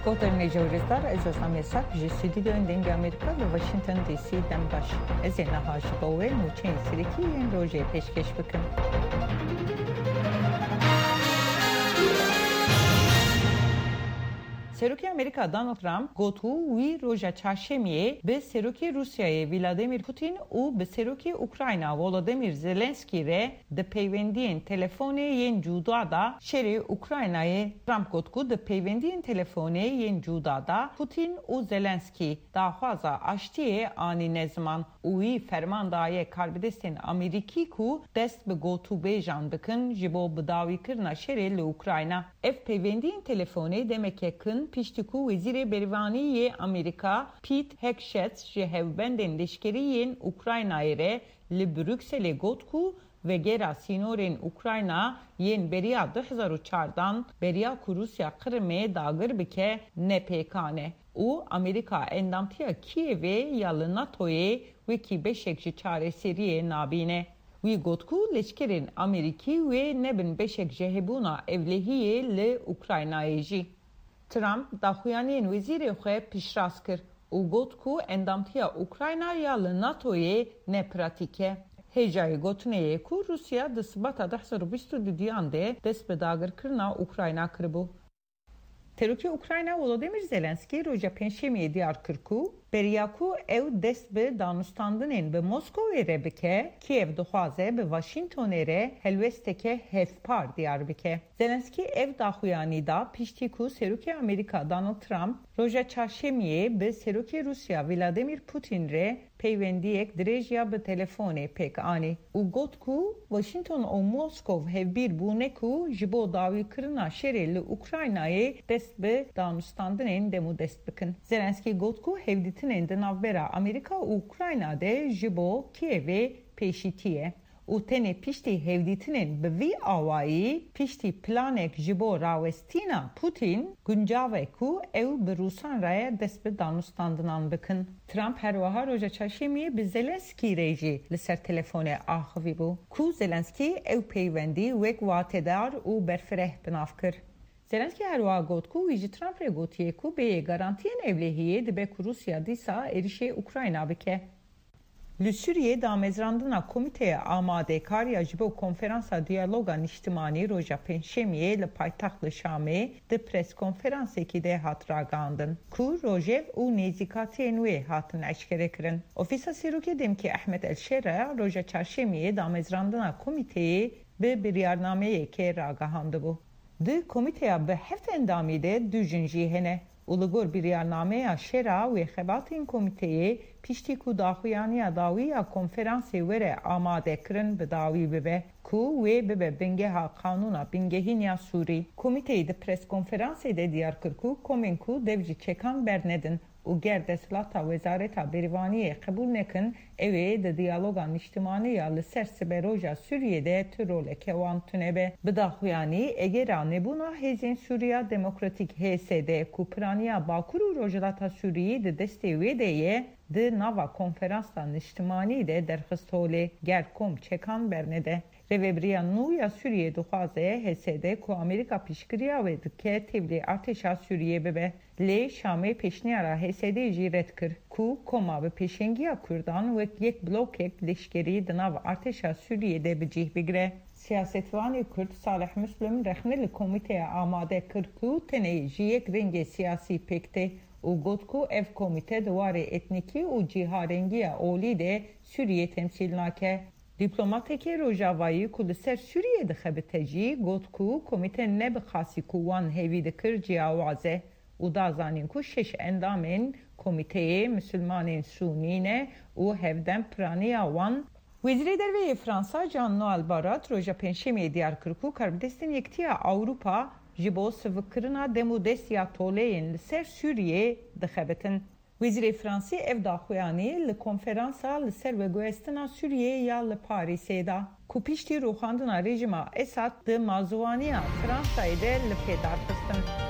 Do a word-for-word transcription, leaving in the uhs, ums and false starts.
Guhdarên hêja û rêzdar, ez Ozan Yasak ji stûdyoyên Dengê Amerîka li Washington D C dem baş. Ez ê niha ji bo we nûçeyên serekî yên rojê pêşkêş bikim. Serokê Amerîka Donald Trump got ku wî roja çarşemiyê bi Serokê Rûsyayê Vladimir Putin û bi Serokê Ukrayna Volodymyr Zelensky re di peywendiyên telefonê yên cuda de şerê Ukraynayê. Trump got ku di peywendiyên telefonê yên cuda de Putin û Zelensky daxwaza aştiyê anîne ziman û wî ferman daye karbidestên Amerîkî ku dest bi gotûbêjan bikin ji bo bidawîkirina şerê li Ukrayna. Ev peywendiyên telefonê demeke kin piştî ku Wezîrê Berîvanî yê Amerîka Pete Hegseth ji hevbendên leşkerî yên Ukraynayê re li Brukselê got ku vegera sînorên Ukrayna yên beriya du hezar û çardan, beriya ku Rûsya Qrimê dagir bike, ne pêkan e û Amerîka endamtiya Kîevê ya li NATOyê wekî beşek ji çareseriyê nabîne. Wî got ku leşkerên Amerîkî wê nebin beşek ji hebûna ewlehiyê li Ukraynayê jî. Trump daxuyaniyên wezîrê xwe piştrast kir û got ku endamtiya Ukrayna ya li NATOyê ne pratîk e. Hêjayî gotinê ye ku Rûsya di Sibata du hezar û bîst û duyan de dest bi dagirkirina Ukrayna kiribû. Serokê Ukrayna Volodymyr Zelensky roja Pêncşemiyê diyar kir ku beriya ku ew dest bi danûstandinên bi Moskowê re bike, Kiev dixwaze bi Washingtonê re helwesteke hevpar diyar bike. Zelensky ev daxuyanî da piştî ku Serokê Amerîka Donald Trump roja Çarşemiyê bi Serokê Rûsya Vladimir Putin re peywendiyek dirêj ya bi telefonê pêk anî û got ku Washington û Moskov hevbîr bûne ku ji bo dawîkirina şerê li Ukraynayê dest bi danûstandinên demûdest bikin. Zelensky got ku hevdîtinên di navbera Amerîka û Ukrayna de ji bo Kievê pêşîtî ye û tenê piştî hevdîtinên bi vî awayî, piştî planek ji bo rawestîna Putin, guncav e ku ew bi Rûsan re dest bi danûstandinan bikin. Trump her wiha roja Çarşemiyê bi Zelensky re jî li ser telefonê axivîbû, ku Zelensky ew peywendî wek watedar û berfireh bi nav kir. Zelensky her wiha got ku wî ji Trump re gotiye ku bêyî garantiyên ewlehiyê dibe ku Rûsya dîsa êrişê Ukrayna bike. Li Sûriyê damezrandina Komîteya Amadekar ya ji bo Konferansa Diyaloga Niştimanî roja Pêncşemiyê li paytexta Şamê di preskonferansekî de hat ragihandin, ku rojev û nêzîkatiyên wê hatin eşkerekirin. Ofîsa Serokê Demkî Ehmed El Şera roja Çarşemiyê damezrandina komîteyê bi biryarnameyekê ragihandibû. Di komîteya bi heft endamî de du jin jî hene û li gor biryarnameya Şera wê xebatên komîteyê piştî ku daxuyaniya dawî ya konferansê were amadekirin bi dawî bibe, ku wê bibe bingeha Qanûna Bingehîn ya Sûrî. Komîteyê di preskonferansê de diyar kir ku komên ku dev ji çekan bernedin û ger desthilata Wezareta Berîvaniyê qebûl nekin, ew ê di diyaloga niştimanî ya li ser siberoja Sûriyê de tu roleke wan tune be. Bi daxuyanî, egera nebûna Hêzên Sûriya Demokratîk, H S D, ku piraniya Bakur û Rojhilata Sûriyê di destê wê de ye, di nava konferansa niştimanî de derxist holê, ger kom çekan bernede. Rêvebiriya nû ya Sûriyê dixwaze H S D ku Amerîka piştgiriya wê dike tevlî artêşa Sûriyê bibe. Lê Şamê pêşniyara H S D jî red kir ku koma bi pêşengiya Kurdan wek yek blokek leşkerî di nav artêşa Sûriyê de bi cih bigire. Siyasetvanê Kurd Salih Muslim rexne li komîteya amade kir ku tenê ji yek rengê siyasî pêk tê û got ku ev komîte di warê etnîkî û cîharengiya olî de Sûriyê temsîl nake. Dîplomateke Rojavayî ku li ser Sûriyê dixebite jî got ku komîte ne bi xasî ku wan hêvî dikir ciyawaz e û da zanîn ku şeş endamên komîteyê misilmanên sûnî ne û hevdem piraniya wan. Wezîrê Derve yê Fransa Jean-Noel Barrot roja Pêncşemiyê diyar kir ku karbidestên Yekitiya Ewropa ji bo sivikkirina dem û dest ya toleyên li ser Sûriyê dixebitin. Wezîrê Fransî ev daxuyanî li konferansa li ser veguhestina Sûriyê ya li Parîsê da, ku piştî rûxandina rejîma Esad di mazûwaniya Fransayê de li pê darxistin.